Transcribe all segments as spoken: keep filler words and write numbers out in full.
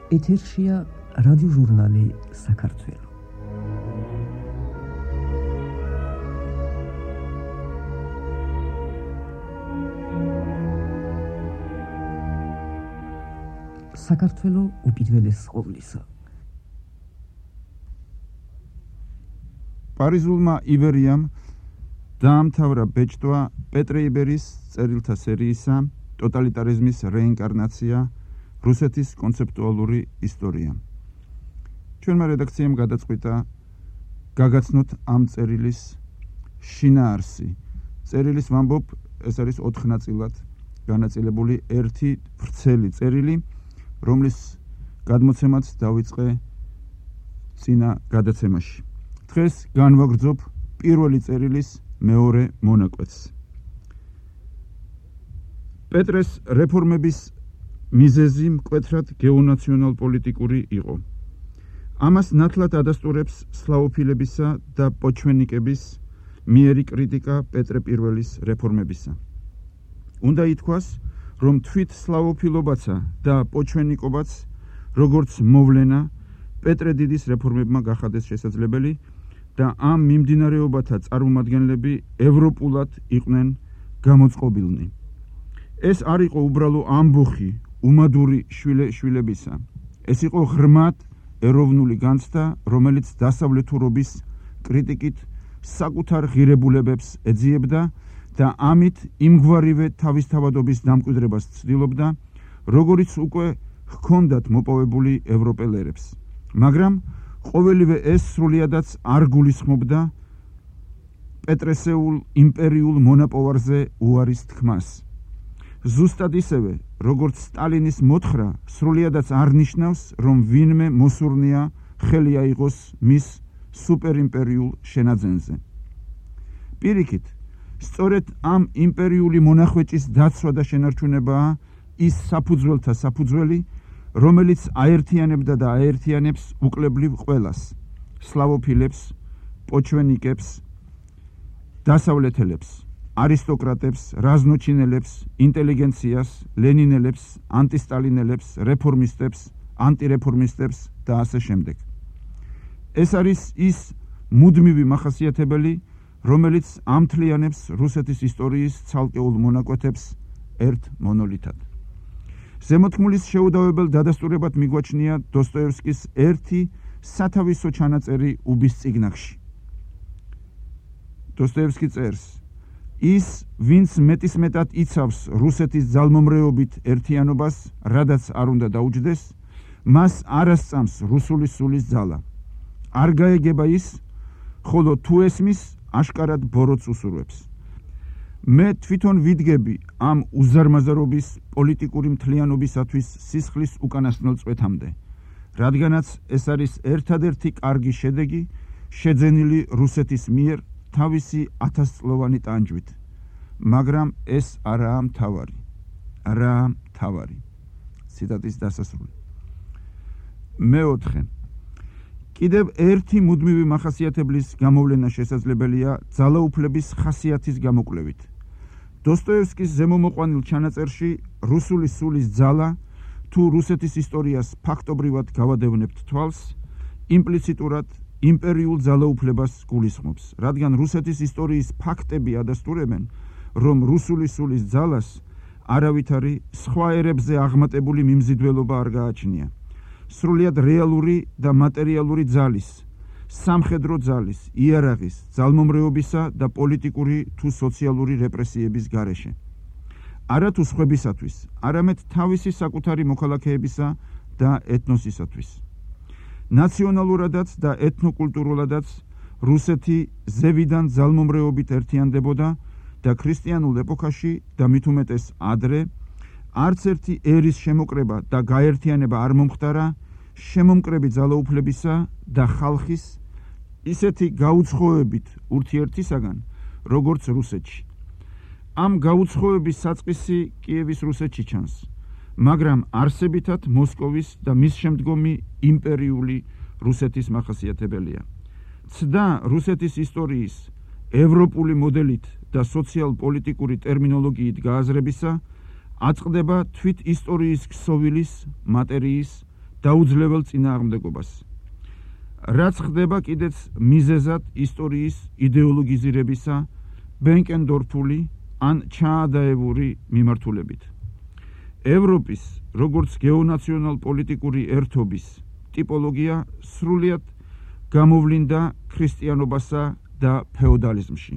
ეთერშია რადიოჟურნალი საქართველო. საქართველო უპირველეს ყოვლისა. პარიზულმა იბერიამ დაამთავრა ბეჭდვა პეტრე იბერის წერილთა სერიისა ტოტალიტარიზმის რეინკარნაცია რუსეთის კონცეპტუალური ისტორია. ჩვენმა რედაქციამ გადაწყვიტა გაგაცნოთ ამ წერილის შინაარსი. წერილის ვამბობ, ეს არის ოთხ ნაწილად განაწილებული ერთი ვრცელი წერილი, რომლის გადმოცემაც დავიწყე წინა გადაცემაში. დღეს განვაგრძობ პირველი წერილის მეორე მონაკვეთს. პეტრეს რეფორმების მიზეზი მკვეთრად გეონაციონალ-პოლიტიკური იყო. ამას ნათლად ადასტურებს სლავოფილებისა და პოჩვენიკების მიერი კრიტიკა პეტრე პირველის რეფორმებისა. უნდა ითქვას, რომ თვით სლავოფილობაცა და პოჩვენიკობაც, როგორც მოვლენა, პეტრე დიდის რეფორმებმა გახადეს შესაძლებელი და ამ მიმდინარეობათა წარმომადგენლები ევროპულად იყვნენ გამოწყობილნი. ეს არ იყო უბრალო ამბოხი უმადური შვილებისა. ეს იყო ღრმად ეროვნული განცდა, რომელიც დასავლეთურობის კრიტიკით საკუთარ ღირებულებებს ეძიებდა და ამით იმგვარივე თავისთავადობის დამკვიდრებას ცდილობდა, როგორიც უკვე ჰქონდათ მოპოვებული ევროპელერებს. მაგრამ ყოველივე ეს სრულიადაც არ გულისხმობდა პეტრესეულ იმპერიულ მონაპოვარზე უარის თქმას. ზუსტად ისევე, როგორც სტალინის მოთხრა სრულიადაც არ ნიშნავს, რომ ვინმე მოსურნია ხელი აიღოს მის სუპერიმპერიულ შენაძენზე. პირიქით, სწორედ ამ იმპერიული მონახვეჭის დაცვა და შენარჩუნებაა ის საფუძველთა საფუძველი, რომელიც აერთიანებდა და აერთიანებს უკლებლივ ყველას: სლავოფილებს, პოჩვენიკებს, დასავლეთელებს, არისტოკრატებს, რაზნოჩინელებს, ინტელიგენციას, ლენინელებს, ანტისტალინელებს, რეფორმისტებს, ანტირეფორმისტებს და ასე შემდეგ. ეს არის ის მუდმივი მახასიათებელი, რომელიც ამთლიანებს რუსეთის ისტორიის ცალკეულ მონაკვეთებს ერთ მონოლითად. ზემოთქმულის შეუდავებელ დადასტურებად მიგვაჩნია დოსტოევსკის ერთი სათავისო ჩანაწერი უბის წიგნახში. დოსტოევსკი წერს: ის, ვინც მეტისმეტად იცავს რუსეთის ძალმომრეობით ერთიანობას, რადაც არ უნდა დაუჯდეს, მას არ ასწამს რუსული სულის ძალა. არ გაეგება ის, ხოლო თუ ესმის, აშკარად ბოროტს უსურვებს. მე თვითონ ვიდგები ამ უზარმაზარობის პოლიტიკური მთლიანობისათვის სისხლის უკანასკნელ წვეთამდე, რადგანაც ეს არის ერთადერთი კარგი შედეგი შეძენილი რუსეთის მიერ თავისი ათასწლოვანი ტანჯვით. მაგრამ ეს არაა მთავარი. არაა მთავარი. ციტატის დასასრული. მეოთხე. კიდევ ერთი მუდმივი მახასიათებლის გამოვლენა შესაძლებელია ძალაუფლების ხასიათის გამოკვლევით. დოსტოევსკის ზემომოყვანილ ჩანაწერში რუსული სულის ძალა, თუ რუსეთის ისტორიას ფაქტობრივად გავადევნებთ თვალს, იმპლიციტურად იმპერიულ ძალაუფლებას გულისხმობს, რადგან რუსეთის ისტორიის ფაქტები ადასტურებენ, რომ რუსული სულის ძალას არავითარი სხვა ერებზე აღმატებული მიმზიდველობა არ გააჩნია. სრულიად რეალური და მატერიალური ძალის, სამხედრო ძალის, იარაღის, ძალმომრეობისა და პოლიტიკური თუ სოციალური რეპრესიების გარეშე. არა თუ სხვებისათვის, არამედ თავისი საკუთარი მოქალაქეებისა და ეთნოსისათვის. ნაციონალურადაც და ეთნოკულტურულადაც რუსეთი ზევიდან ძალმომრეობით ერთიანდებოდა და ქრისტიანულ ეპოქაში და მით უმეტეს ადრე არც ერთი ერის შემოკრება და გაერთიანება არ მომხდარა შემომკრები ძალაუფლებისა და ხალხის ისეთი გაუცხოებით ურთიერთისაგან, როგორც რუსეთში. ამ გაუცხოების საწყისი კიევის რუსეთში ჩანს, მაგრამ არსებითად მოსკოვის და მის შემდგომი იმპერიული რუსეთის მახასიათებელია. ცდა რუსეთის ისტორიის ევროპული მოდელით და სოციალ-პოლიტიკური ტერმინოლოგიით გააზრებისა, აწყდება თვით ისტორიის ქსოვილის, მატერიის, დაუძლებელ წინააღმდეგობას. რაც ხდება კიდეც მიზეზად ისტორიის იდეოლოგიზირებისა ბენკენდორფული ან ჩაადაებული მიმართულებით. ევროპის როგორც გეონაციონალ-პოლიტიკური ერთობის ტიპოლოგია სრულიად გამოვლინდა ქრისტიანობასა და ფეოდალიზმში,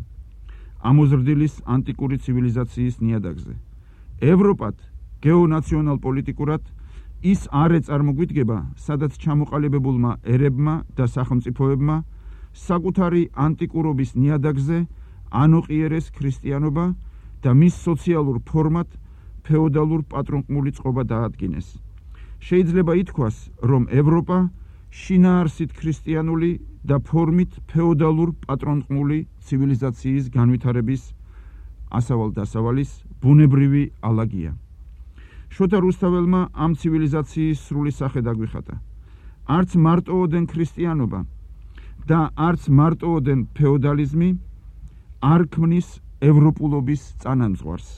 ამოზრდილის ანტიკური ცივილიზაციის ნიადაგზე. ევროპად გეონაციონალ-პოლიტიკურად ის არ ეწარმოგვიდგება, სადაც ჩამოყალიბებულმა ერებმა და სახელმწიფოებმა საკუთარი ანტიკურობის ნიადაგზე ანოყიერეს ქრისტიანობა და მის სოციალურ ფორმად ფეოდალურ პატრონყმული წყობა დაადგინეს. შეიძლება ითქვას, რომ ევროპა შინაარსით ქრისტიანული და ფორმით ფეოდალურ პატრონყმული ცივილიზაციის განვითარების ასავალ-დასავალის ბუნებრივი ალაგია. შოთა რუსთაველმა ამ ცივილიზაციის სრული სახე დაგვიხატა. არც მარტოოდენ ქრისტიანობა და არც მარტოოდენ ფეოდალიზმი არ ქმნის ევროპულობის წანამძღვარს.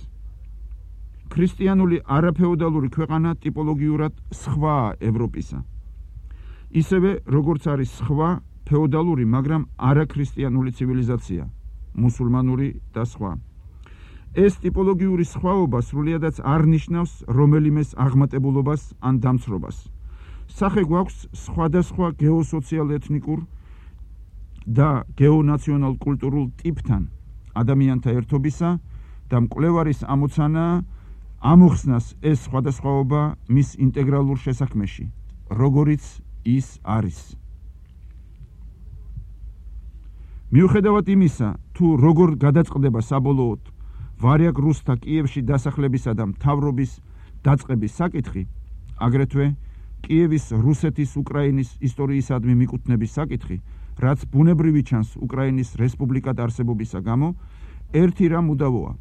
ქრისტიანული არაფეოდალური ქვეყანა ტიპოლოგიურად სხვაა ევროპისა. ისევე როგორც არის სხვა ფეოდალური, მაგრამ არაქრისტიანული ცივილიზაცია, მუსულმანური და სხვა. ეს ტიპოლოგიური სხვაობა სრულიადაც არ ნიშნავს რომელიმეს აღმატებულობას ან დამცრობას. სახე გვაქვს სხვადასხვა გეოსოციალ-ეთნიკურ და გეონაციონალ-კულტურულ ტიპთან ადამიანთა ერთობისა და მკვლევარის ამოცანაა ამოხსნას ეს სხვადასხვაობა მის ინტეგრალურ შესაქმეში, როგორიც ის არის. მიუხედავად იმისა, თუ როგორ გადაწყდება საბოლოოდ ვარიაგ რუსთა კიევში დასახლებისა და მთავრობის დაწყების საკითხი, აგრეთვე კიევის რუსეთის უკრაინის ისტორიისადმი მიკუთვნების საკითხი, რაც ბუნებრივი ჩანს უკრაინის რესპუბლიკად არსებობისა გამო, ერთი რამ უდავოა.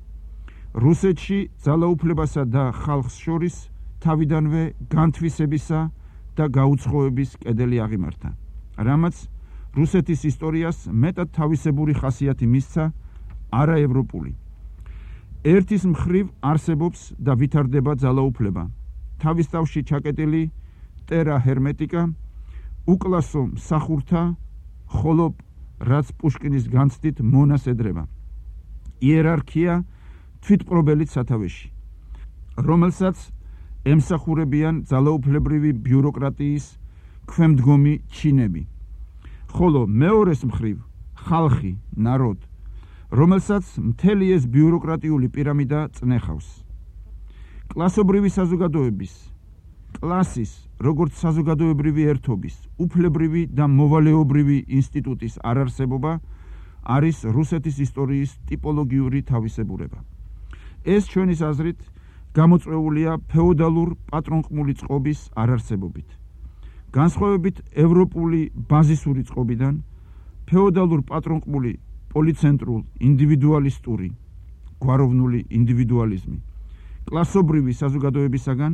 რუსეთში ძალაუფლებასა და ხალხს შორის თავიდანვე განთვისებისა და გაუცხოების კედელი აღიმართა, რამაც რუსეთის ისტორიას მეტად თავისებური ხასიათი მისცა არაევროპული. ერთის მხრივ არსებობს და ვითარდება ძალაუფლება, თავის თავში ჩაკეტილი ტერა ჰერმეტიკა, უკლასო მსახურთა, ხოლო რაც პუშკინის განცდით მონას ედრება. იერარქია თვითპყრობელით სათავეში, რომელსაც ემსახურებიან ძალაუფლებრივი ბიუროკრატიის ქვემდგომი ჩინები, ხოლო მეორეს მხრივ ხალხი, ნაროდ, რომელსაც მთელი ეს ბიუროკრატიული პირამიდა წნეხავს. კლასობრივი საზოგადოების, კლასის, როგორც საზოგადოებრივი ერთობის, უფლებრივი და მოვალეობრივი ინსტიტუტის არარსებობა არის რუსეთის ისტორიის ტიპოლოგიური თავისებურება. ეს ჩვენის აზრით გამოწვეულია ფეოდალურ პატრონყმული წყობის არარსებობით. განსხვავებით ევროპული ბაზისური წყობიდან, ფეოდალურ პატრონყმული პოლიცენტრულ ინდივიდუალისტური გვაროვნული ინდივიდუალიზმი კლასობრივი საზოგადოებისაგან,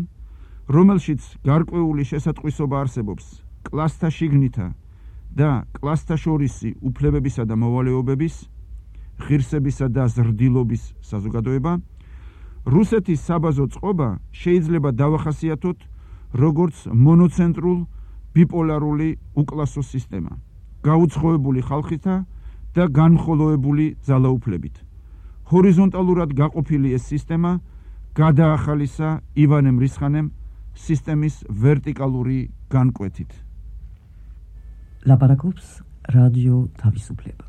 რომელშიც გარკვეული შესატყვისობა არსებობს კლასთა შიგნითა და კლასთა შორისი უფლებებისა და მოვალეობების, ღირსებისა და ზრდილობის საზოგადოება, რუსეთის საბაზო წყობა შეიძლება დავახასიათოთ როგორც მონოცენტრულ ბიპოლარული უკლასო სისტემა, გაუცხოებული ხალხითა და განხოლოებული ძალაუფლებით. ჰორიზონტალურად გაყოფილი ეს სისტემა გადაახალისა ივანე მრისხანემ სისტემის ვერტიკალური განკვეთით. ლაპარაკობს რადიო თავისუფლება.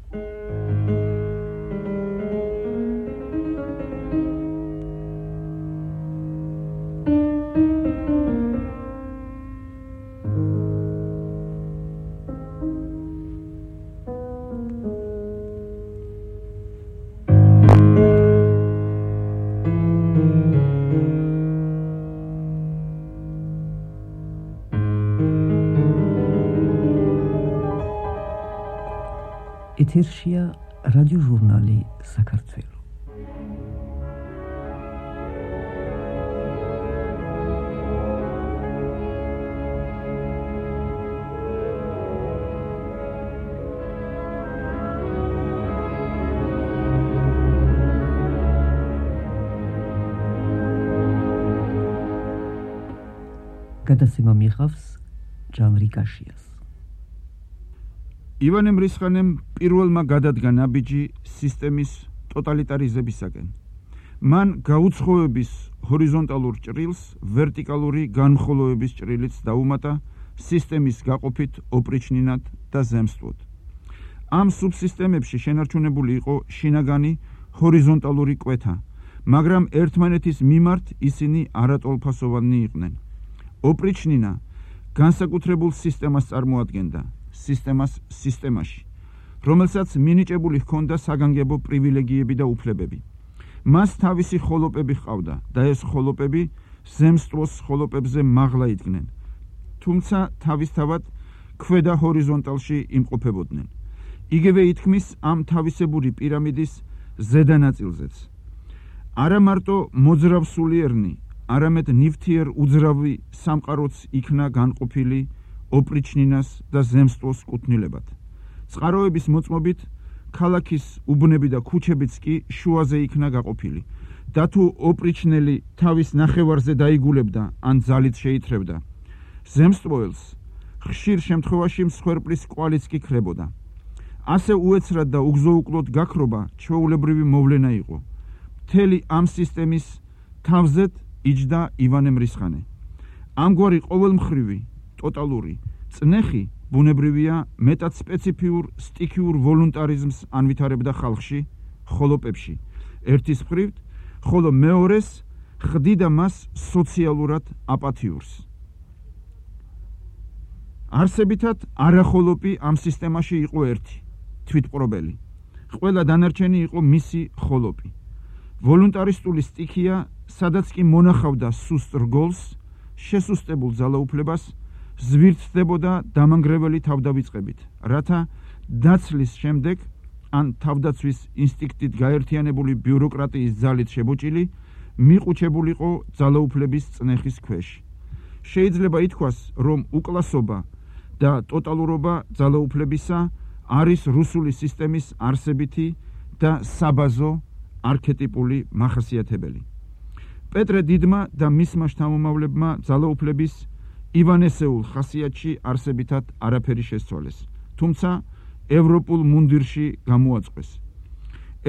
ეთერშია რადიოჟურნალი საქართველო. გადაცემა მიიღავს ჟანრი კაშიას. ივანე მრისხანემ პირველმა გადადგა ნაბიჯი სისტემის ტოტალიტარიზებისაკენ. მან გაუცხოების ჰორიზონტალურ ჭრილს ვერტიკალური განმხოლოვების ჭრილიც დაუმატა სისტემის გაყოფით ოპრიჩნინად და ზემსტვოდ. ამ სუბსისტემებში შენარჩუნებული იყო შინაგანი ჰორიზონტალური კვეთა, მაგრამ ერთმანეთის მიმართ ისინი არატოლფასოვანი იყვნენ. ოპრიჩნინა განსაკუთრებულ სისტემას წარმოადგენდა, სისტემას სისტემაში, რომელსაც მინიჭებული ჰქონდა საგანგებო პრივილეგიები და უფლებები. მას თავისი ხოლოპები ჰყავდა და ეს ხოლოპები ზემსტვოს ხოლოპებზე მაღლა იდგნენ, თუმცა თავისთავად ქვედა ჰორიზონტალში იმყოფებოდნენ. იგივე ითქმის ამ თავისებური პირამიდის ზედა ნაწილზეც. არა მარტო მოძრავსულიერნი, არამედ ნივთიერ უძრავი სამყაროც იქნა განყოფილი ოპრიჩნინას და ზემსტვოს კუთვნილებად. წყაროების მოწმობით ქალაქის უბნები და ქუჩებიც კი შუაზე იქნა გაყოფილი და თუ ოპრიჩნელი თავის ნახევარზე დაიგულებდა ან ძალით შეითრევდა ზემსტვოელს, ხშირ შემთხვევაში მსხვერპლის კვალიც კი ქრებოდა. ასე უეცრად და უგზოუკლოდ გაქრობა ჩვეულებრივი მოვლენა იყო. მთელი ამ სისტემის თავზეთ იჯდა ივანე მრისხანე. ამგვარი ყოველმხრივი, ტოტალური წნეხი ბუნებრივია მეტად სპეციფიურ სტიქიურ ვოლუნტარიზმს ანვითარებდა ხალხში, ხოლოპებში, ერთის მხრივ, ხოლო მეორეს ხდიდა მას სოციალურად აპათიურს. არსებითად არახოლოპი ამ სისტემაში იყო ერთი, თვითპყრობელი. ყველა დანარჩენი იყო მისი ხოლოპი. ვოლუნტარისტული სტიქია, სადაც კი მონახავდა სუსტ რგოლს, შესუსტებულ ძალაუფლებას, ზვირთდებოდა დამანგრეველი თავდავიწყებით, რათა დაცლის შემდეგ ან თავდაცვის ინსტინქტით გაერთიანებული ბიუროკრატიის ძალით შებოჭილი მიყუჩებულიყო ძალაუფლების წნეხის ქვეშ. შეიძლება ითქვას, რომ უკლასობა და ტოტალურობა ძალაუფლებისა არის რუსული სისტემის არსებითი და საბაზო არქეტიპული მახასიათებელი. პეტრე დიდმა და მისმა შთამომავლებმა ძალაუფლების ივანესეულ ხასიათში არსებითად არაფერი შესცვალეს, თუმცა ევროპულ მუნდირში გამოაწყვეს.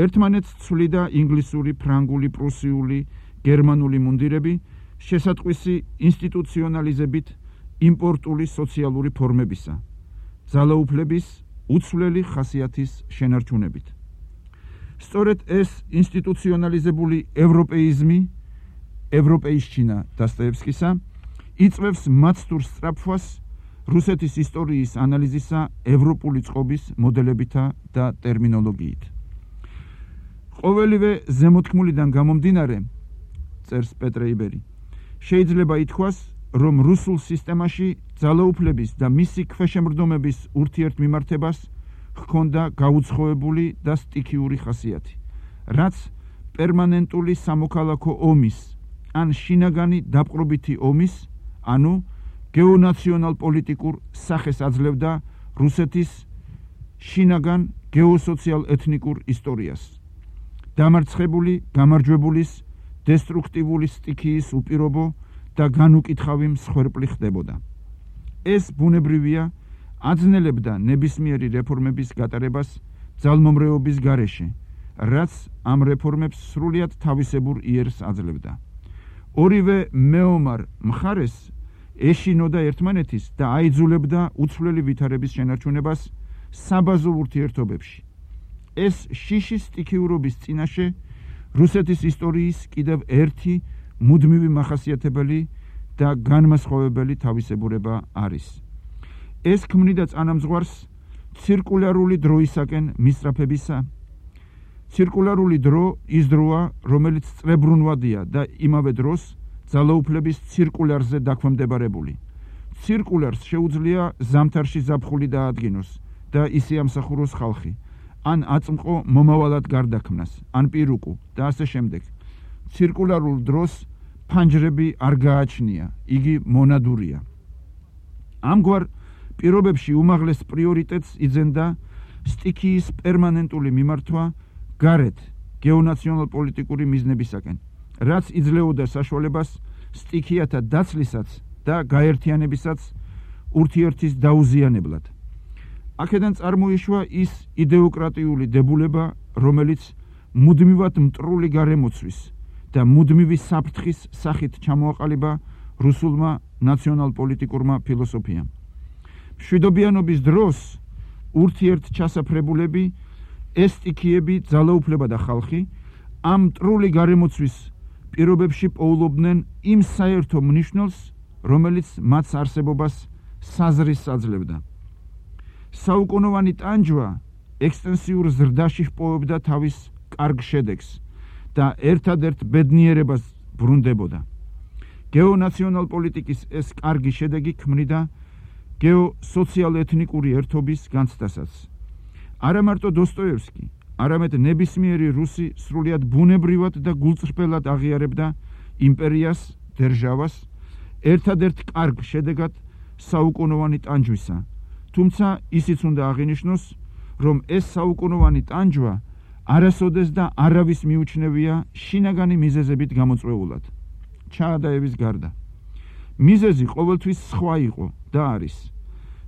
ერთმანეთს ცვლიდა ინგლისური, ფრანგული, პრუსიული, გერმანული მუნდირები, შესატყვისი ინსტიტუციონალიზებით იმპორტული სოციალური ფორმებისა, ძალაუფლების უცვლელი ხასიათის შენარჩუნებით. სწორედ ეს ინსტიტუციონალიზებული ევროპეიზმი, ევროპეიშჩინა დასტოევსკისა, იწვევს მაცდურ სწრაფვას რუსეთის ისტორიის ანალიზისა ევროპული წყობის მოდელებითა და ტერმინოლოგიით. ყოველივე ზემოთქმულიდან გამომდინარე, წერს პეტრე იბერი, შეიძლება ითქვას, რომ რუსულ სისტემაში ძალაუფლების და მისი ქვეშემრდომების ურთიერთმიმართებას ჰქონდა გაუცხოებული და სტიქიური ხასიათი, რაც პერმანენტული სამოქალაქო ომის ან შინაგანი დაპყრობითი ომის, ანუ გეონაციონალ პოლიტიკურ სახეს აძლევდა რუსეთის შინაგან გეოსოციალ ეთნიკურ ისტორიას. დამარცხებული, გამარჯვებულის, დესტრუქტიული სტიქიის უპირობო და განუკითხავი მსხვერპლი ხდებოდა. ეს ბუნებრივია აძნელებდა ნებისმიერი რეფორმების გატარებას ძალმომრეობის გარეშე, რაც ამ რეფორმებს სრულიად თავისებურ იერს აძლევდა. ორივე მეომარ მხარეს ეშინოდა ერთმანეთის და აიძულებდა უცვლელი ვითარების შენარჩუნებას საბაზო ურთიერთობებში. ეს შიშის სტიქიურობის წინაშე რუსეთის ისტორიის კიდევ ერთი მუდმივი მახასიათებელი და განმასხვავებელი თავისებურება არის. ეს ქმნიდა წანამძღვარს ცირკულარული დროისაკენ მისწრაფებისა. ცირკულარული დრო ის დროა, რომელიც წრებრუნვადია და იმავე დროს ძალაუფლების ცირკულარზე დაქვემდებარებული. ცირკულარს შეუძლია ზამთარში ზაფხული დაადგინოს და ისე ამსახუროს ხალხი, ან აწმყო მომავალად გარდაქმნას, ან პირუკუ და ასე შემდეგ. ცირკულარულ დროს ფანჯრები არ გააჩნია, იგი მონადურია. ამგვარ პირობებში უმაღლეს პრიორიტეტს იძენდა სტიქიის პერმანენტული მიმართვა გარეთ გეონაციონალ-პოლიტიკური მიზნებისაკენ, რაც იძლეოდა საშუალებას სტიქიათა დაცლისაც და გაერთიანებისაც ურთიერთის დაუზიანებლად. აქედან წარმოიშვა ის იდეოკრატიული დებულება, რომელიც მუდმივად მტრული გარემოცვის და მუდმივი საფრთხის სახით ჩამოაყალიბა რუსულმა ნაციონალ-პოლიტიკურმა ფილოსოფიამ. მშვიდობიანობის დროს ურთიერთ ჩასაფრებულები, ეს სტიქიები, ძალაუფლება და ხალხი ამ მტრული გარემოცვის პირობებში პოულობდნენ იმ საერთო მნიშვნელს, რომელიც მათ არსებობას საზრის აძლევდა. საუკუნოვანი ტანჯვა ექსტენსიურ ზრდაში ჰპოვებდა თავის კარგ შედეგს და ერთადერთ ბედნიერებას ბრუნდებოდა. გეონაციონალ პოლიტიკის ეს კარგი შედეგი ქმნიდა გეოსოციალ-ეთნიკური ერთობის განცდასაც. არა მარტო დოსტოევსკი, არამედ ნებისმიერი რუსი სრულიად ბუნებრივად და გულწრფელად აღიარებდა იმპერიას, დერჟავას, ერთადერთ კარგ შედეგად საუკუნოვანი ტანჯვისა. თუმცა ისიც უნდა აღინიშნოს, რომ ეს საუკუნოვანი ტანჯვა არასოდეს და არავის მიუჩნევია შინაგანი მიზეზებით გამოწვეულად, ჩაადაების გარდა. მიზეზი ყოველთვის სხვა იყო და არის.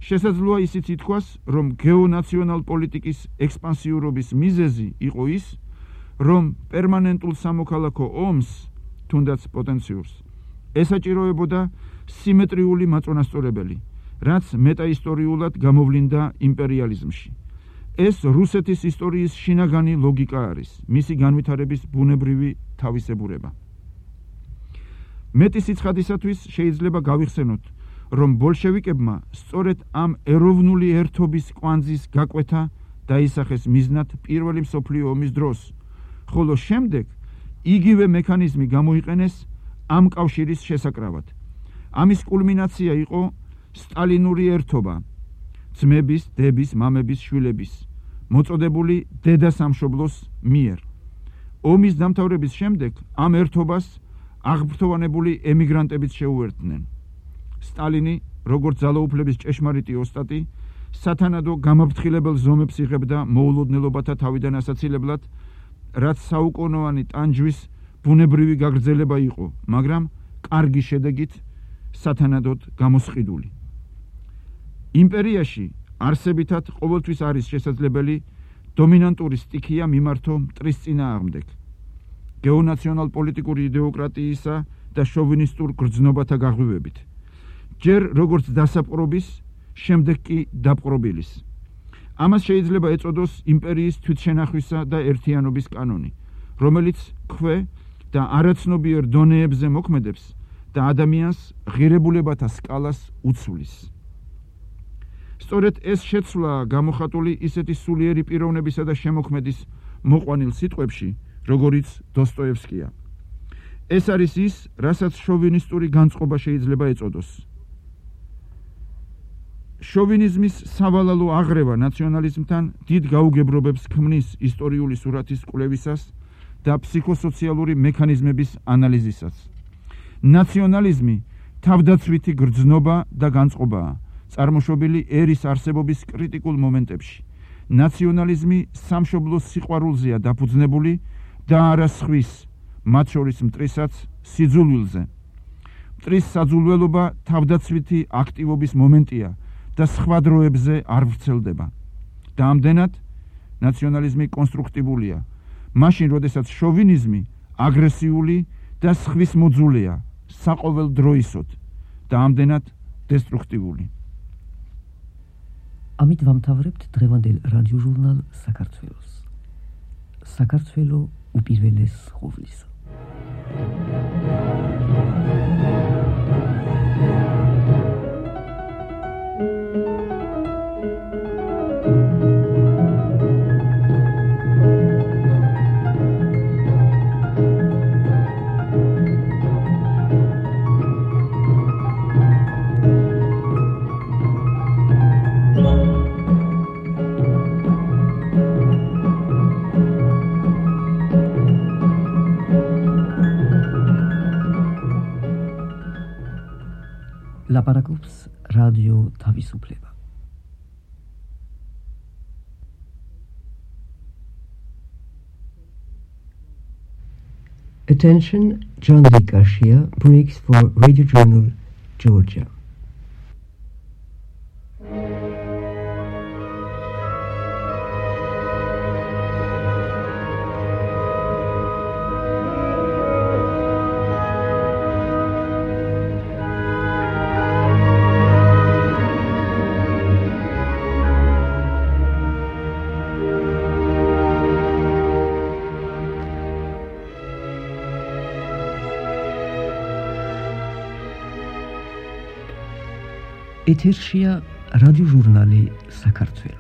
შესაძლოა ისიც ითქვას, რომ გეონაციონალ პოლიტიკის ექსპანსიურობის მიზეზი იყო ის, რომ პერმანენტულ სამოქალაქო ომს, თუნდაც პოტენციურს, ესაჭიროებოდა სიმეტრიული მაწონასწორებელი, რაც მეტაისტორიულად გამოვლინდა იმპერიალიზმში. ეს რუსეთის ისტორიის შინაგანი ლოგიკა არის, მისი განვითარების ბუნებრივი თავისებურება. მეტი სიცხადისათვის შეიძლება გავიხსენოთ, რომ ბოლშევიკებმა სწორედ ამ ეროვნული ერთობის კვანძის გაკვეთა დაისახეს მიზნად პირველი მსოფლიო ომის დროს, ხოლო შემდეგ იგივე მექანიზმი გამოიყენეს ამ კავშირის შესაკრავად. ამის კულმინაცია იყო სტალინური ერთობა, ძმების, დების, მამების, შვილების, მოწოდებული დედა სამშობლოს მიერ. ომის დამთავრების შემდეგ ამ ერთობას აღფრთოვანებული ემიგრანტებიც შეუერთდნენ. სტალინი, როგორც ძალაუფლების ჭეშმარიტი ოსტატი, სათანადო გამაფრთხილებელ ზომებს იღებდა მოულოდნელობათა თავიდან ასაცილებლად, რაც საუკუნოვანი ტანჯვის ბუნებრივი გაგრძელება იყო, მაგრამ კარგი შედეგით სათანადოდ გამოსყიდული. იმპერიაში არსებითად ყოველთვის არის შესაძლებელი დომინანტური სტიქია მიმართო მტრის წინააღმდეგ, გეონაციონალ-პოლიტიკური იდეოკრატიისა და შოვინისტურ გრძნობათა გაღვივებით. ჯერ როგორც დასაპყრობის, შემდეგ კი დაპყრობილის. ამას შეიძლება ეწოდოს იმპერიის თვითშენახვისა და ერთიანობის კანონი, რომელიც ქვე და არაცნობიერ დონეებზე მოქმედებს და ადამიანს ღირებულებათა სკალას უცვლის. სწორედ ეს შეცვლა გამოხატული ისეთი სულიერი პიროვნებისა და შემოქმედის მოყვანილ სიტყვებში, როგორიც დოსტოევსკია. ეს არის ის, რასაც შოვინისტური განწყობა შეიძლება ეწოდოს. შოვინიზმის სავალალო აღრევა ნაციონალიზმთან დიდ გაუგებრობებს ქმნის ისტორიული სურათის კვლევისას და ფსიქოსოციალური მექანიზმების ანალიზისას. ნაციონალიზმი თავდაცვითი გრძნობა და განწყობაა, წარმოშობილი ერის არსებობის კრიტიკულ მომენტებში. ნაციონალიზმი სამშობლოს სიყვარულზეა დაფუძნებული და არა სხვის, მათ შორის მტრისაც სიძულვილზე. მტრის საძულველობა თავდაცვითი აქტივობის მომენტია და სხვა დროებზე არ ვრცელდება. და ამდენად ნაციონალიზმი კონსტრუქტიულია, მაშინ როდესაც შოვინიზმი აგრესიული და სხვის მოძულეა, საყოველდროისოდ და ამდენად დესტრუქტიული. ამით ვამთავრებთ დღევანდელ რადიოჟურნალ საქართველოს. საქართველო უპირველეს ყოვლისა. ლაპარაკობს რადიო თავისუფლება. Attention, John Lee Garcia breaks for Radio Journal, Georgia. ეთერშია რადიოჟურნალი საქართველო.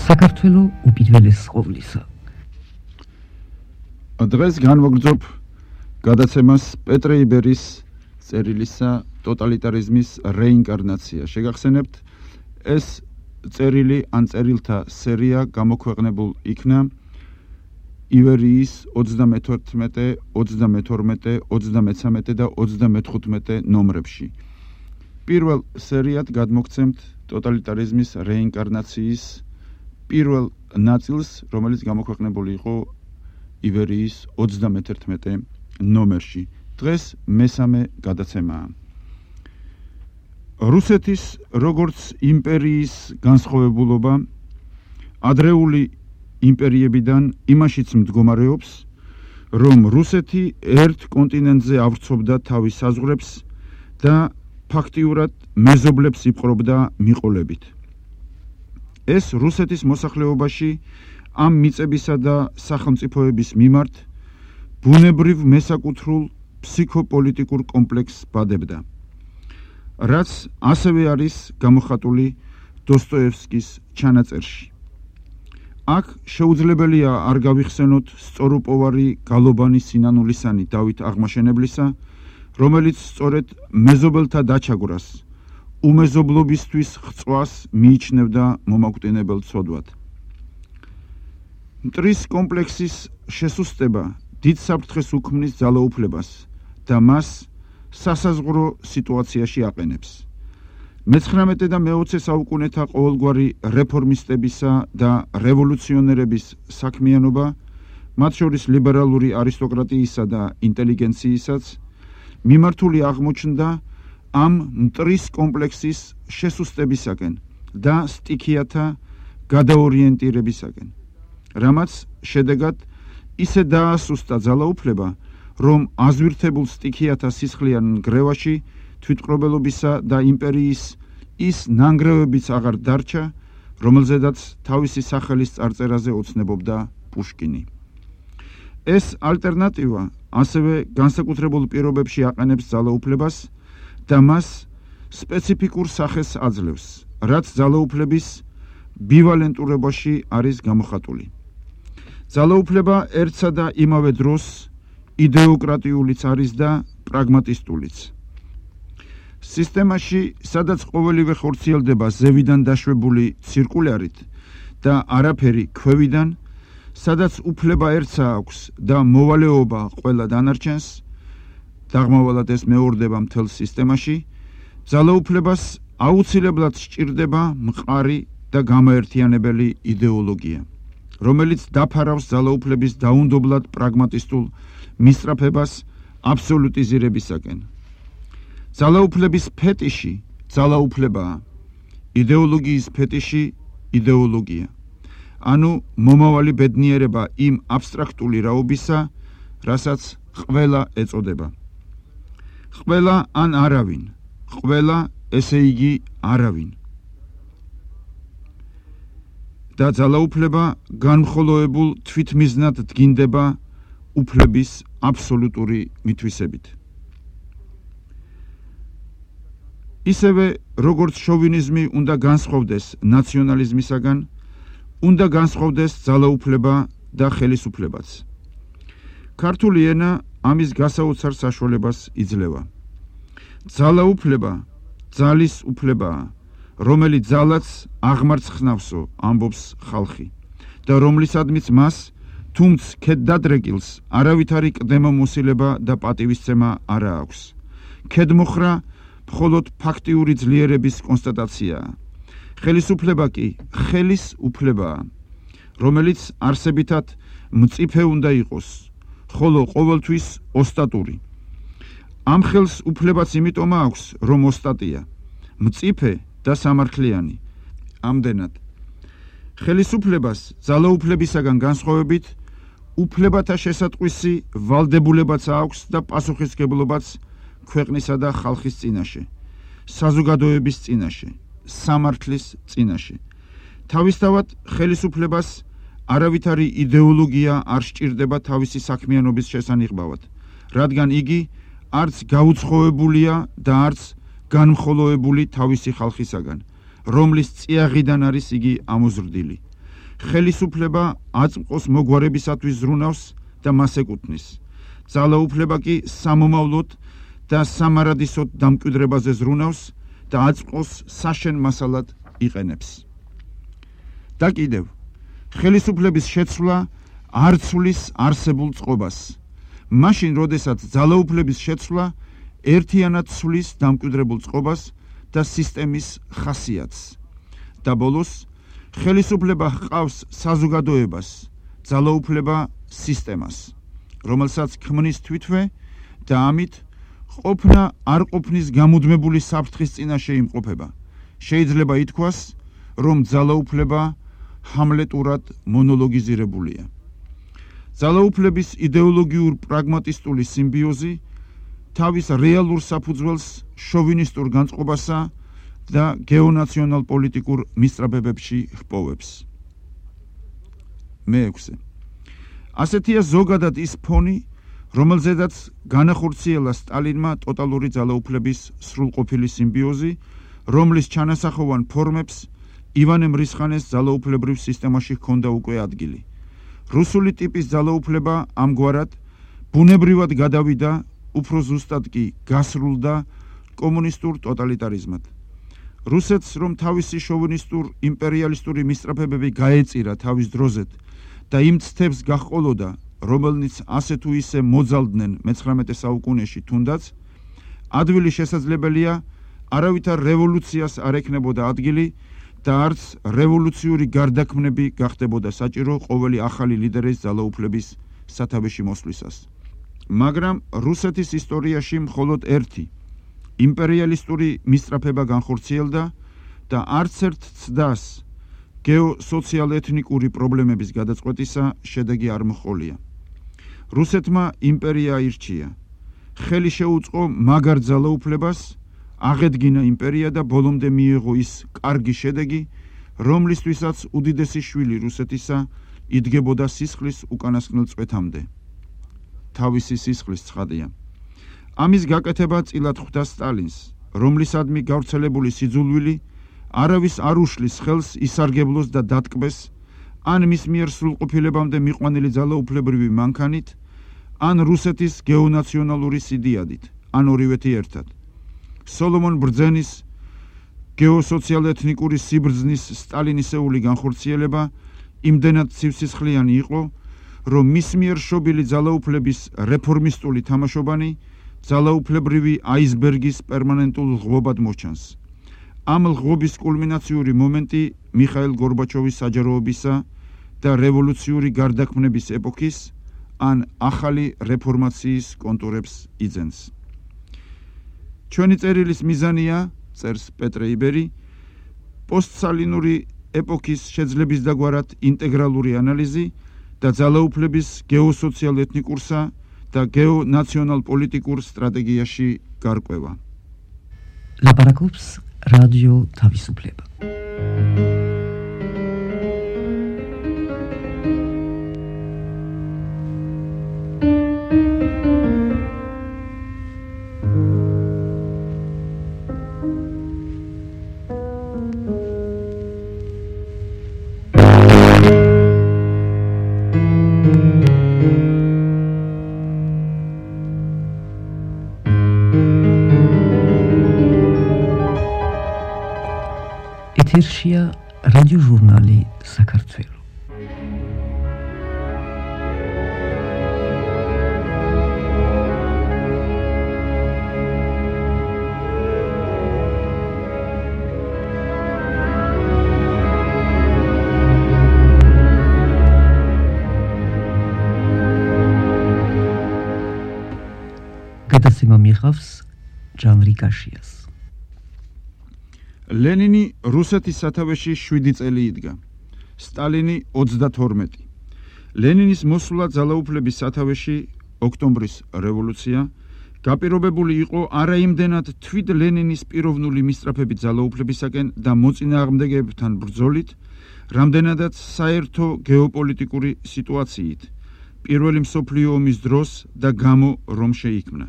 საქართველო უპირველეს ყოვლისა. დღეს განვაგრძობ გადაცემას პეტრე იბერის წერილისა ტოტალიტარიზმის რეინკარნაცია. შეგახსენებთ, ეს წერილი ან წერილთა სერია გამოქვეყნებულ იქნა ივერიის ოცდამეთერთმეტე, ოცდამეთორმეტე, ოცდამეცამეტე და ოცდამეთხუთმეტე ნომრებში. პირველ სერიად გადმოგცემთ ტოტალიტარიზმის რეინკარნაციის პირველ ნაწილს, რომელიც გამოქვეყნებული იყო ივერიის ოცდამეთერთმეტე ნომერში. დღეს მესამე გადაცემაა. რუსეთის როგორც იმპერიის განსხვავებულობა ადრეული იმპერიებიდან იმაშიც მდგომარეობს, რომ რუსეთი ერთ კონტინენტზე ავრცობდა თავის საზღვრებს და ფაქტიურად მეზობლებს იპყრობდა მიყოლებით. ეს რუსეთის მოსახლეობაში ამ მიწებისა და სახელმწიფოების მიმართ ბუნებრივ მესაკუთრულ ფსიქოპოლიტიკურ კომპლექსს ბადებდა, რაც ასევე არის გამოხატული დოსტოევსკის ჩანაწერში. აქ შეუძლებელია არ გავიხსენოთ სწორუპოვარი გალობანი სინანულისანი დავით აღმაშენებლისა, რომელიც სწორედ მეზობელთა დაჩაგვრას, უმეზობლობისთვის ხწვას მიიჩნევდა მომაკვდინებელ ცოდვად. მტრის კომპლექსის შესუსტება დიდ საფრთხეს უქმნის ძალაუფლებას და მას სასაზღვრო სიტუაციაში აყენებს. მეცხრამეტე და მეოცე საუკუნეთა ყოველგვარი რეფორმისტებისა და რევოლუციონერების საქმიანობა, მათ შორის ლიბერალური არისტოკრატიისა და ინტელიგენციისაც, მიმართული აღმოჩნდა ამ მტრის კომპლექსის შესუსტებისაკენ და სტიქიათა გადაორიენტირებისაკენ, რამაც შედეგად ისე დაასუსტა ძალაუფლება, რომ აზვირთებულ სტიქიათა სისხლიან ნგრევაში თვითმკვლელობისა და იმპერიის ის ნანგრევებიც აღარ დარჩა, რომელზედაც თავისი სახელის წარწერაზე ოცნებობდა პუშკინი. ეს ალტერნატივა ასევე განსაკუთრებულ პირობებში აყენებს ძალაუფლებას და მას სპეციფიკურ სახეს აძლევს, რაც ძალაუფლების ბივალენტურობაში არის გამოხატული. ძალაუფლება ერთსა და იმავე დროს იდეოკრატიულიც არის და პრაგმატისტულიც. სისტემაში, სადაც ყოველივე ხორციელდება ზევიდან დაშვებული ცირკულარით და არაფერი ქვევიდან, სადაც უფლება ერთსა აქვს და მოვალეობა ყველა დანარჩენს, დაღმავალად ეს მეორდება მთელ სისტემაში, ძალაუფლებას აუცილებლად სჭირდება მყარი და გამაერთიანებელი იდეოლოგია, რომელიც დაფარავს ძალაუფლების დაუნდობლად პრაგმატისტულ მისწრაფებას აბსოლუტიზირებისაკენ. ძალაუფლების ფეტიში ძალაუფლებაა, იდეოლოგიის ფეტიში იდეოლოგია. ანუ მომავალი ბედნიერება იმ აბსტრაქტული რაობისა, რასაც ყველა ეწოდება. ყველა ან არავინ, ყველა ესე იგი არავინ. და ძალაუფლება განმხოლოებულ თვითმიზნად დგინდება უფლების აბსოლუტური მითვისებით. ისევე, როგორც შოვინიზმი უნდა განსხვავდეს ნაციონალიზმისაგან, უნდა განსხვავდეს ძალაუფლება და ხელისუფლებაც. ქართული ენა ამის გასაოცარ საშუალებას იძლევა. ძალაუფლება ძალის უფლებაა, რომელიც ძალაც აღმარცხნავსო, ამბობს ხალხი, და რომლისადმიც მას, თუმც ქედდადრეკილს, არავითარი კდემომოსილება და პატივისცემა არა აქვს. ქედმოხრა მხოლოდ ფაქტიური ძლიერების კონსტატაციაა. ხელისუფლება კი ხელის უფლებაა, რომელიც არსებითად მწიფე უნდა იყოს, ხოლო ყოველთვის ოსტატური. ამ ხელს უფლებაც იმიტომ აქვს, რომ ოსტატია, მწიფე და სამართლიანი. ამდენად, ხელისუფლებას ძალაუფლებისაგან განსხვავებით, უფლებათა შესატყვისი ვალდებულებაც აქვს და პასუხისმგებლობაც ქვეყნისა და ხალხის წინაშე, საზოგადოების წინაშე, სამართლის წინაშე. თავისთავად ხელისუფლებას არავითარი იდეოლოგია არ სჭირდება თავისი საქმიანობის შესანიღბავად, რადგან იგი არც გაუცხოებულია და არც განმხოლოებული თავისი ხალხისაგან, რომლის წიაღიდან არის იგი ამოზრდილი. ხელისუფლება აწმყოს მოგვარებისათვის ზრუნავს და მას ეკუთვნის. ძალაუფლება კი სამომავლოდ და სამარადისოდ დამკვიდრებაზე ზრუნავს და აწმყოს საშენ მასალად იყენებს. და კიდევ, ხელისუფლების შეცვლა არ ცვლის არსებულ წყობას. მაშინ, როდესაც ძალაუფლების შეცვლა ერთიანად ცვლის დამკვიდრებულ წყობას და სისტემის ხასიათს. და ბოლოს, ხელისუფლება ჰყავს საზოგადოებას, ძალაუფლება სისტემას, რომელსაც ქმნის თვითვე და ამით ყოფნა არ ყოფნის გამუდმებული საფრთხის წინაშე იმყოფება. შეიძლება ითქვას, რომ ძალაუფლება ჰამლეტურად მონოლოგიზირებულია. ძალაუფლების იდეოლოგიურ პრაგმატისტული სიმბიოზი თავის რეალურ საფუძველს შოვინისტურ განწყობასა და გეონაციონალ პოლიტიკურ მისწრაფებებში ჰპოვებს. მეექვსე. ასეთია ზოგადად ის ფონი, რომელზედაც განახორციელა სტალინმა ტოტალური ძალაუფლების სრულყოფილი სიმბიოზი, რომლის ჩანასახოვან ფორმებს ივანე მრისხანეს ძალაუფლებრივ სისტემაში ჰქონდა უკვე ადგილი. რუსული ტიპის ძალაუფლება ამგვარად ბუნებრივად გადავიდა, უფრო ზუსტად კი გასრულდა კომუნისტურ ტოტალიტარიზმად. რუსეთს რომ თავისი შოვინისტურ იმპერიალისტური მისწრაფებები გაეწირა თავის დროზეთ და იმ ცდებს გაჰყოლოდა, რომელნიც ასე თუ ისე მოძალდნენ მეცხრამეტე საუკუნეში თუნდაც, ადვილი შესაძლებელია არავითარ რევოლუციას არ ექნებოდა ადგილი და არც რევოლუციური გარდაქმნები გახდებოდა საჭირო ყოველი ახალი ლიდერის ძალაუფლების სათავეში მოსვლისას. მაგრამ რუსეთის ისტორიაში მხოლოდ ერთი იმპერიალისტური მისწრაფება განხორციელდა და არც ერთ ცდას გეოსოციალ-ეთნიკური პრობლემების გადაწყვეტისა შედეგი არ მოჰყოლია. რუსეთმა იმპერია აირჩია, ხელი შეუწყო მაგარ ძალაუფლებას, აღედგინა იმპერია და ბოლომდე მიიღო ის კარგი შედეგი, რომლისთვისაც უდიდესი შვილი რუსეთისა იდგებოდა სისხლის უკანასკნელ წვეთამდე. თავისი სისხლის ცხადია. ამის გაკეთება წილად ხვდა სტალინს, რომლისადმი გავრცელებული სიძულვილი არავის არ უშლის ხელს ისარგებლოს და დატკბეს, ან მის მიერ სრულყოფილებამდე მიყვანილი ძალაუფლებრივი მანქანით, ან რუსეთის გეონაციონალური სიდიადით, ან ორივეთი ერთად. სოლომონ ბრძენის გეოსოციალ-ეთნიკური სიბრძნის სტალინისეული განხორციელება იმდენად ცივსისხლიანი იყო, რომ მის მიერ შობილი ძალაუფლების რეფორმისტული თამაშობანი ძალაუფლებრივი აისბერგის პერმანენტულ ღობად მოჩანს. ამ ღობის კულმინაციური მომენტი მიხაილ გორბაჩოვის საჯაროობისა და რევოლუციური გარდაქმნების ეპოქის ან ახალი რეფორმაციის კონტურებს იძენს. ჩვენი წერილის მიზანია, წერს პეტრე იბერი, პოსტსალინური ეპოქის შეძლების დაგვარად ინტეგრალური ანალიზი და ძალაუფლების გეოსოციალ-ეთნიკურსა და გეონაციონალ-პოლიტიკურ სტრატეგიაში გარკვევა. ლაპარაკობს რადიო თავისუფლება. ეთერშია რადიო ჟურნალი საქართველო. გადაცემა მიიღავს ჟანრი კაშიას. ლენინი რუსეთის სათავეში შვიდი წელი იდგა, სტალინი ოცდათორმეტი. ლენინის მოსვლა ძალაუფლების სათავეში, ოქტომბრის რევოლუცია, გაპირობებული იყო არა იმდენად თვით ლენინის პიროვნული მისწრაფებით ძალაუფლებისაკენ და მოწინააღმდეგეებთან ბრძოლით, რამდენადაც საერთო გეოპოლიტიკური სიტუაციით, პირველი მსოფლიო ომის დროს და გამო რომ შეიქმნა.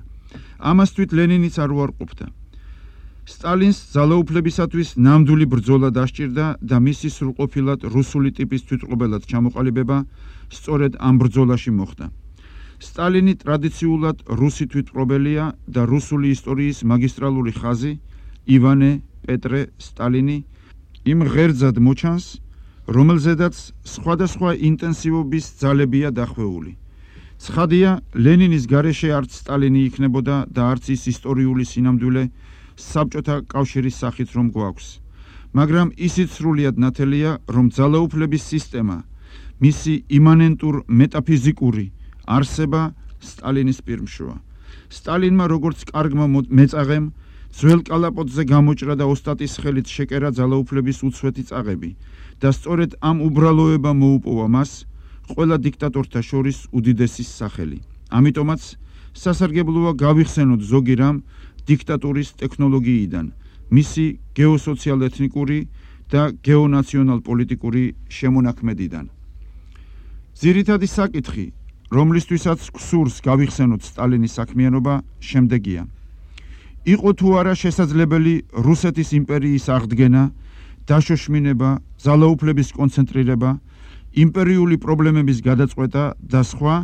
ამას თვით ლენინიც არ უარყოფდა. სტალინს ძალაუფლებისათვის ნამდვილი ბრძოლა დასჭირდა და მისი სრულყოფილად რუსული ტიპის თვითმყოფელად ჩამოყალიბება სწორედ ამ ბრძოლაში მოხდა. სტალინი ტრადიციულად რუსი თვითმყოფელია და რუსული ისტორიის მაგისტრალური ხაზი ივანე პეტრე სტალინი იმ ღერძად მოჩანს, რომელზედაც სხვადასხვა ინტენსივობის ძალებია დახვეული. ცხადია, ლენინის გარეშე არც სტალინი იქნებოდა და არც ის ისტორიული სინამდვილე საბჭოთა კავშირის სახით რომ გვაქვს. მაგრამ ისიც სრულიად ნათელია, რომ ძალაუფლების სისტემა, მისი იმანენტურ მეტაფიზიკური არსება სტალინის პირმშოა. სტალინმა როგორც კარგმა მეწაღემ ძველ კალაპოტზე გამოჭრა და ოსტატის ხელით შეკერა ძალაუფლების უცვეთი წაღები და სწორედ ამ უბრალოებამ მოუპოვა მას ყველა დიქტატორთა შორის უდიდესის სახელი. ამიტომაც სასარგებლოა გავიხსენოთ ზოგი რამ დიქტატურის ტექნოლოგიიდან, მისი გეოსოციალ-ეთნიკური და გეონაციონალ-პოლიტიკური შემონაქმედიდან. ძირითადი საკითხი, რომლისთვისაც გსურს გავიხსენოთ სტალინის საქმიანობა, შემდეგია. იყო თუ არა შესაძლებელი რუსეთის იმპერიის აღდგენა, დაშოშმინება, ძალაუფლების კონცენტრირება, იმპერიული პრობლემების გადაწყვეტა და სხვა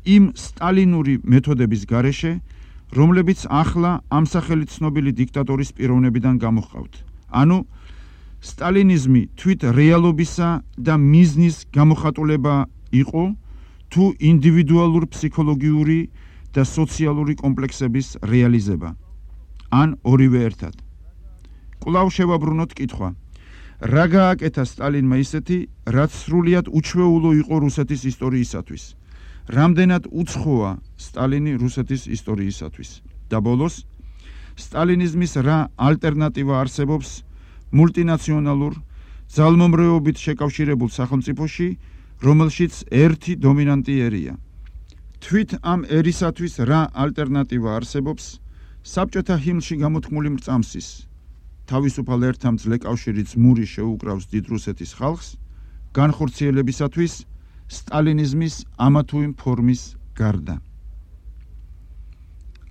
იმ სტალინური მეთოდების გარეშე, რომლებიც ახლა ამ სახელით ცნობილი დიქტატორის პიროვნებიდან გამოჰყავთ. ანუ სტალინიზმი თვით რეალობისა და მიზნის გამოხატულება იყო თუ ინდივიდუალურ ფსიქოლოგიური და სოციალური კომპლექსების რეალიზება. ან ორივე ერთად. კვლავ შევაბრუნოთ კითხვა. რა გააკეთა სტალინმა ისეთი, რაც სრულიად უჩვეულო იყო რუსეთის ისტორიისათვის? რამდენად უცხოა სტალინი რუსეთის ისტორიისათვის? და ბოლოს, სტალინიზმის რა ალტერნატივა არსებობს მულტინაციონალურ, ძალმომრეობით შეკავშირებულ სახელმწიფოში, რომელშიც ერთი დომინანტი ერია? თვით ამ ერისათვის რა ალტერნატივა არსებობს საბჭოთა ჰიმნში გამოთქმული მრწამსის თავისუფალ ერთამძლე კავშირი ძმური შეუკრავს დიდ რუსეთის ხალხს განხორციელებისათვის სტალინიზმის ამა თუ იმ ფორმის გარდა.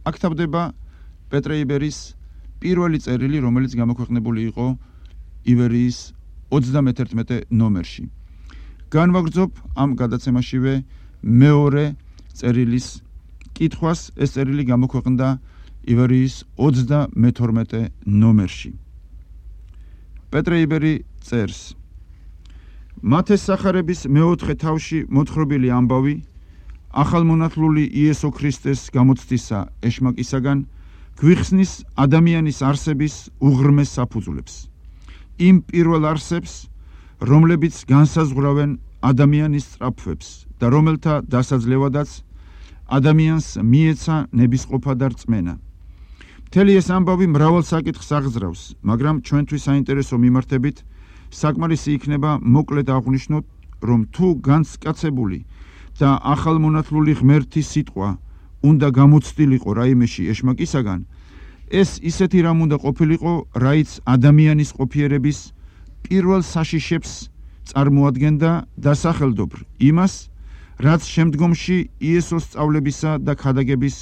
აქ თავდება პეტრე იბერის პირველი წერილი, რომელიც გამოქვეყნებული იყო ივერიის ოცდამეთერთმეტე ნომერში. განვაგრძობ ამ გადაცემაშივე მეორე წერილის კითხვას. ეს წერილი გამოქვეყნდა ივერიის ოცდამეთორმეტე ნომერში. პეტრე იბერი წერს: მათეს სახარების მეოთხე თავში მოთხრობილი ამბავი ახალმონათლული იესო ქრისტეს გამოცდისა ეშმაკისაგან გვიხსნის ადამიანის არსების უღრმეს საფუძვლებს, იმ პირველ არსებს, რომლებიც განსაზღვრავენ ადამიანის სწრაფვებს და რომელთა დასაძლევადაც ადამიანს მიეცა ნებისყოფა და რწმენა. მთელი ეს ამბავი მრავალ საკითხს აღძრავს, მაგრამ ჩვენთვის საინტერესო მიმართებით საკმარისი იქნება მოკლედ აღვნიშნოთ, რომ თუ განსკაცებული და ახალმონათლული ღმერთი სიტყვა უნდა გამოცდილიყო რაიმეში ეშმაკისაგან, ეს ისეთი რამ უნდა ყოფილიყო, რაიც ადამიანის ყოფიერების პირველ საშიშებს წარმოადგენდა დასახელდობრ იმას, რაც შემდგომში იესოს სწავლებისა და ქადაგების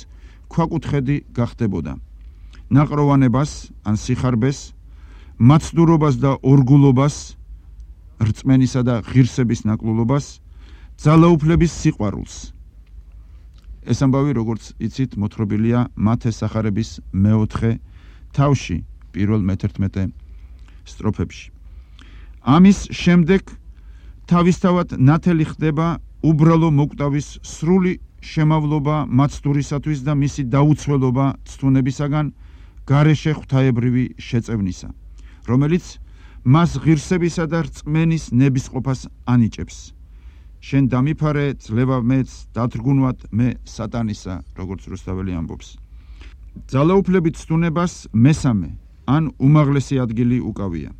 ქვაკუთხედი გახდებოდა. ნაყროვანებას ან სიხარბეს, მაცდურობას და ორგულობას, რწმენისა და ღირსების ნაკლულობას, ძალაუფლების სიყვარულს. ეს ამბავი, როგორც იცით, მოთხრობილია მათეს სახარების მეოთხე თავში, პირველ მეთერთმეტე სტროფებში. ამის შემდეგ თავისთავად ნათელი ხდება უბრალო მოკვდავის სრული შემავლობა მაცდურისათვის და მისი დაუცველობა ცთუნებისაგან გარეშე ღვთაებრივი შეწევნისა, რომელიც მას ღირსებისა და რწმენის ნებისყოფას ანიჭებს. შენ დამიფარე, ძლევა მეც, დათრგუნვად მე სატანისა, როგორც რუსთაველი ამბობს. ძალაუფლებით ცთუნებას მესამე ან უმაღლესი ადგილი უკავია.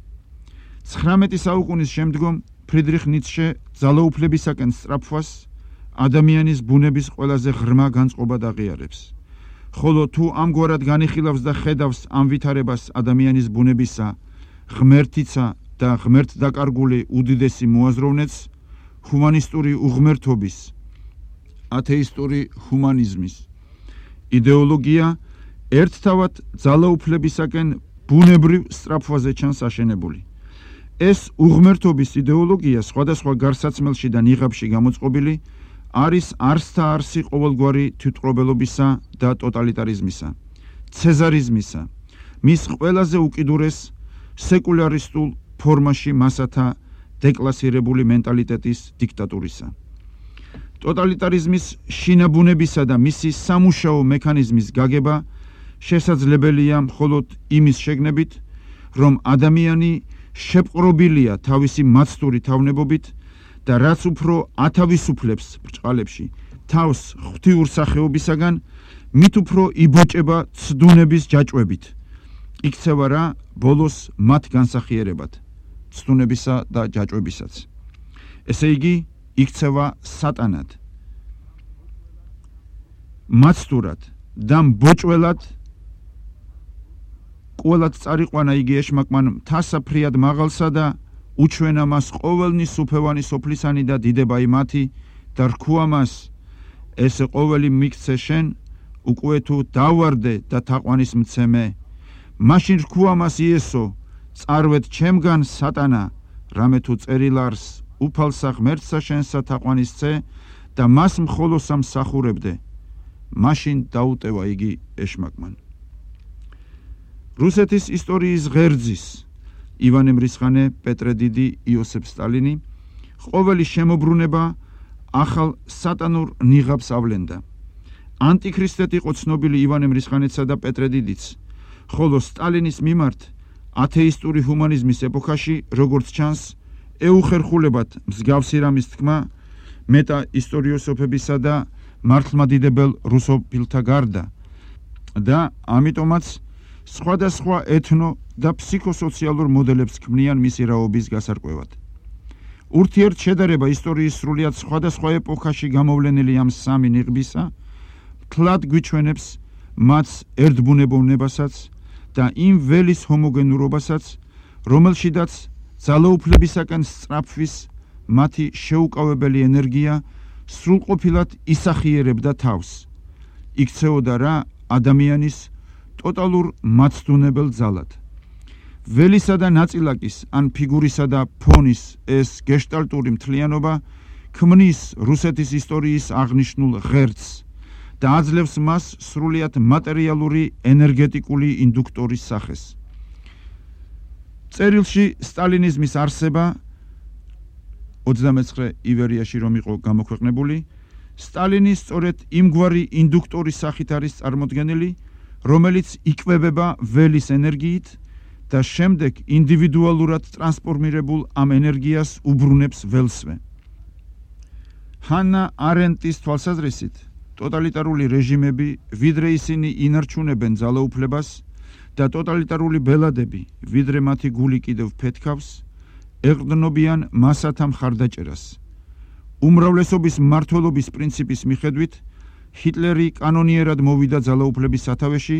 ცხრამეტი საუკუნის შემდგომ ფრიდრიხ ницშე ძალაუფლებისაკენ სწრაფვას ადამიანის ბუნების ყველაზე ღრმა განწყობად აღიარებს. ხოლო თუ ამგვარად განიხილავს და ხედავს ამ ვითარებას ადამიანის ბუნებისა, ღმერთიცა და ღმერთდაკარგული უდიდესი მოაზროვნეც ჰუმანისტური უღმერთობის, ათეისტური ჰუმანიზმის იდეოლოგია ერთთავად ძალაუფლებისაკენ ბუნებრივ სწრაფვაზე ჩანს აშენებული. ეს უღმერთობის იდეოლოგია სხვადასხვა გარსაცმელში და ნიღაბში გამოწყობილი არის არსთა არსი ყოველგვარი თვითმკვლელობისა და ტოტალიტარიზმისა, ცეზარიზმისა, მის ყველაზე უკიდურეს სეკულარისტულ ფორმაში მასათა დეკლასირებული მენტალიტეტის დიქტატურისა. ტოტალიტარიზმის შინაბუნებისა და მისი სამუშაო მექანიზმის გაგება შესაძლებელია მხოლოდ იმის შეგნებით, რომ ადამიანი შეპყრობილია თავისი მაცდური თავნებობით და რაც უფრო ათავისუფლებს ბრჭყალებში თავს ღვთიურ სახეობისაგან, მით უფრო იბოჭება ცდუნების ჯაჭვებით. იქცევა რა ბოლოს მათ განსახიერებად, ცდუნებისა და ჯაჭვებისაც. ესე იგი, იქცევა სატანად, მაცდურად და მბოჭველად. ყველად წარიყვანა იგი ეშმაკმან მთასაფრიად მაღალსა და უჩვენა მას ყოველნი სუფევანი სოფლისანი და დიდებაი მათი და რქუა მას, ესე ყოველი მიქცე შენ, უკვე თუ დავარდე და თაყვანის მცემე. მაშინ რქუა მას იესო, წარვეთ ჩემგან სატანა, რამე თუ წერილარს უფალსა ღმერთსა შენსა თაყვანისცე და მას მხოლოსა მსახურებდე. მაშინ დაუტევა იგი ეშმაკმან. რუსეთის ისტორიის ღერძის ივანე მრისხანე, პეტრე დიდი, იოსებ სტალინი ყოველი შემოbrunება ახალ სატანურ ნიღაბს ავლენდა. ანტიქრისტეთ იყო ცნობილი ივანე მრისხანეცსა და პეტრე დიდიც, ხოლო სტალინის მიმართ ათეისტური ჰუმანიზმის ეპოქაში, როგორც ჩანს, ეუხერხულებად მსგავსი რამის თქმა მეტა ისტორიოსოფებისა და მართლმადიდებელ რუსოფილთა გარდა და ამიტომაც სხვადასხვა ეთნო და ფსიქოსოციალურ მოდელებს ქმნიან მისი რაობის გასარკვევად. ურთიერთშედარება ისტორიის სრულიად სხვადასხვა ეპოქაში გამოვლენილი ამ სამი ნიღბისა მთლად გვიჩვენებს მათ ერთბუნებოვნებასაც და იმ ველის ჰომოგენურობასაც, რომელშიდაც ძალაუფლებისაკენ სწრაფვის მათი შეუკავებელი ენერგია სრულყოფილად ისახიერებდა თავს. იქცეოდა რა ადამიანის ტოტალურ მაცდუნებელ ძალად. ველისა და ნაწილაკის ან ფიგურისა და ფონის ეს გეშტალტური მთლიანობა ქმნის რუსეთის ისტორიის აღნიშნულ ღერძს და აძლევს მას სრულიად მატერიალური ენერგეტიკული ინდუქტორის სახეს. წერილში სტალინიზმის არსება ოცდამეცხრე ივერიაში რომ იყო გამოქვეყნებული, სტალინი სწორედ იმგვარი ინდუქტორის სახით არის წარმოდგენილი, რომელიც იკვებება ველის ენერგიით და შემდეგ ინდივიდუალურად ტრანსფორმირებულ ამ ენერგიას უბრუნებს ველსვე. ჰანა არენტის თვალსაზრისით, ტოტალიტარული რეჟიმები, ვიდრე ისინი ინარჩუნებენ ძალაუფლებას და ტოტალიტარული ბელადები, ვიდრე მათი გული კიდევ ფეთქავს, ეყრდნობიან მასათა მხარდაჭერას. უმრავლესობის მმართველობის პრინციპის მიხედვით, ჰიტლერი კანონიერად მოვიდა ძალაუფლების სათავეში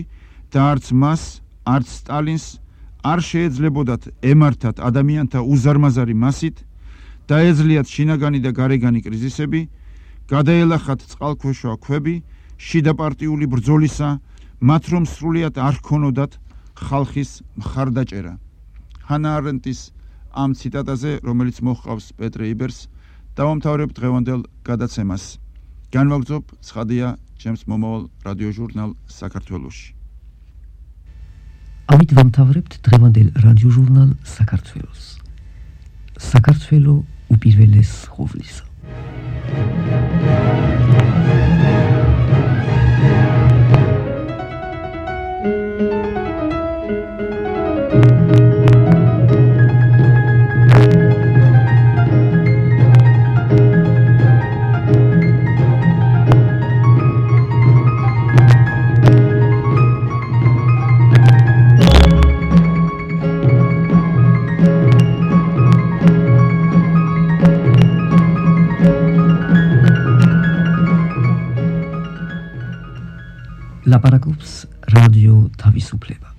და არც მას, არც სტალინს არ შეეძლებოდათ ემართათ ადამიანთა უზარმაზარი მასით, დაეძლიათ შინაგანი და გარეგანი კრიზისები, გადაელახათ წყალქვეშა ქვები, შიდაპარტიული ბრძოლისა, მათ რომ სრულიად არ ჰქონოდათ ხალხის მხარდაჭერა. ჰანა არენტის ამ ციტატაზე, რომელიც მოჰყავს პეტრე იბერს, დავამთავრებ დღევანდელ გადაცემას. განვაგრძობ ცხადია ჩემს მომავალ რადიოჟურნალ საქართველოში. ამით ვამთავრებთ დღევანდელ რადიოჟურნალ საქართველოს. საქართველო უპირველეს ხოვლისა. ლაპარაკობს რადიო თავისუფლება.